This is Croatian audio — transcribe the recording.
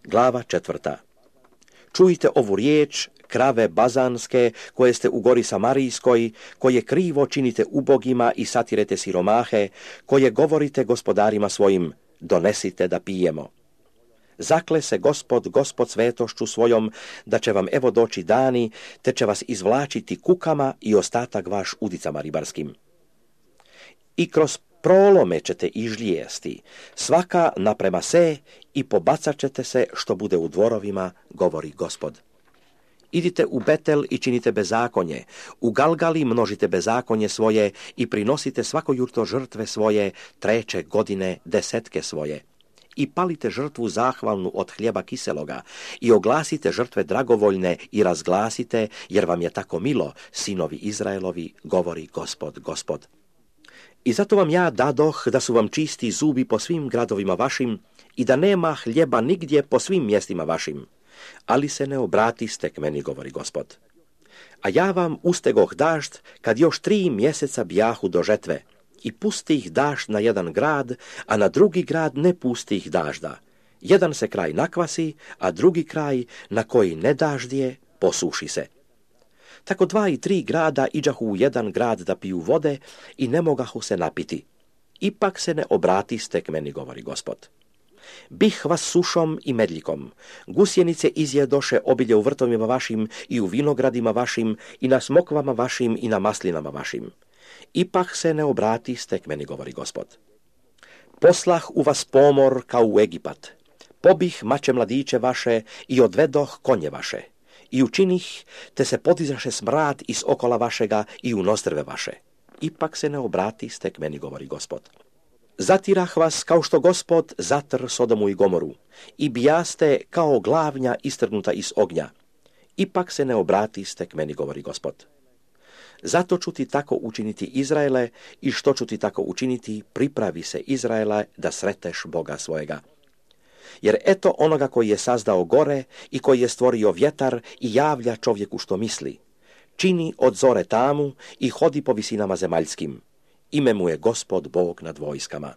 Glava 4. Čujte ovu riječ, krave bazanske, koje ste u gori Samarijskoj, koje krivo činite ubogima i satirete siromahe, koje govorite gospodarima svojim, donesite da pijemo. Zakle se Gospod svetošću svojom, da će vam evo doći dani, te će vas izvlačiti kukama i ostatak vaš udicama ribarskim. I kroz prolome ćete ižlijesti, svaka naprema se i pobacat ćete se što bude u dvorovima, govori Gospod. Idite u Betel i činite bezakonje, u Galgali množite bezakonje svoje i prinosite svakojutro žrtve svoje, 3. godine desetke svoje. I palite žrtvu zahvalnu od hljeba kiseloga i oglasite žrtve dragovoljne i razglasite, jer vam je tako milo, sinovi Izraelovi, govori Gospod. I zato vam ja dadoh da su vam čisti zubi po svim gradovima vašim i da nema hljeba nigdje po svim mjestima vašim. Ali se ne obratiste k meni, govori Gospod. A ja vam ustegoh dažd kad još 3 mjeseca bjahu do žetve i pustih dažd na jedan grad, a na drugi grad ne pustih dažda. Jedan se kraj nakvasi, a drugi kraj na koji ne daždje posuši se. Tako 2 i 3 grada iđahu u jedan grad da piju vode i ne mogahu se napiti. Ipak se ne obratiste k meni, govori Gospod. Bih vas sušom i medljikom, gusjenice izjedoše obilje u vrtovima vašim i u vinogradima vašim i na smokvama vašim i na maslinama vašim. Ipak se ne obratiste k meni, govori Gospod. Poslah u vas pomor kao u Egipat, pobih mače mladiće vaše i odvedoh konje vaše. I učinih, te se podizaše smrad iz okola vašega i u nostrve vaše. Ipak se ne obratiste k meni, govori Gospod. Zatirah vas kao što Gospod zatr Sodomu i Gomoru i bijaste kao glavnja istrgnuta iz ognja. Ipak se ne obratiste k meni, govori Gospod. Zato ću ti tako učiniti, Izraele, i što ću ti tako učiniti, pripravi se, Izraela, da sreteš Boga svojega. Jer eto onoga koji je sazdao gore i koji je stvorio vjetar i javlja čovjeku što misli. Čini od zore tamu i hodi po visinama zemaljskim. Ime mu je Gospod Bog nad vojskama.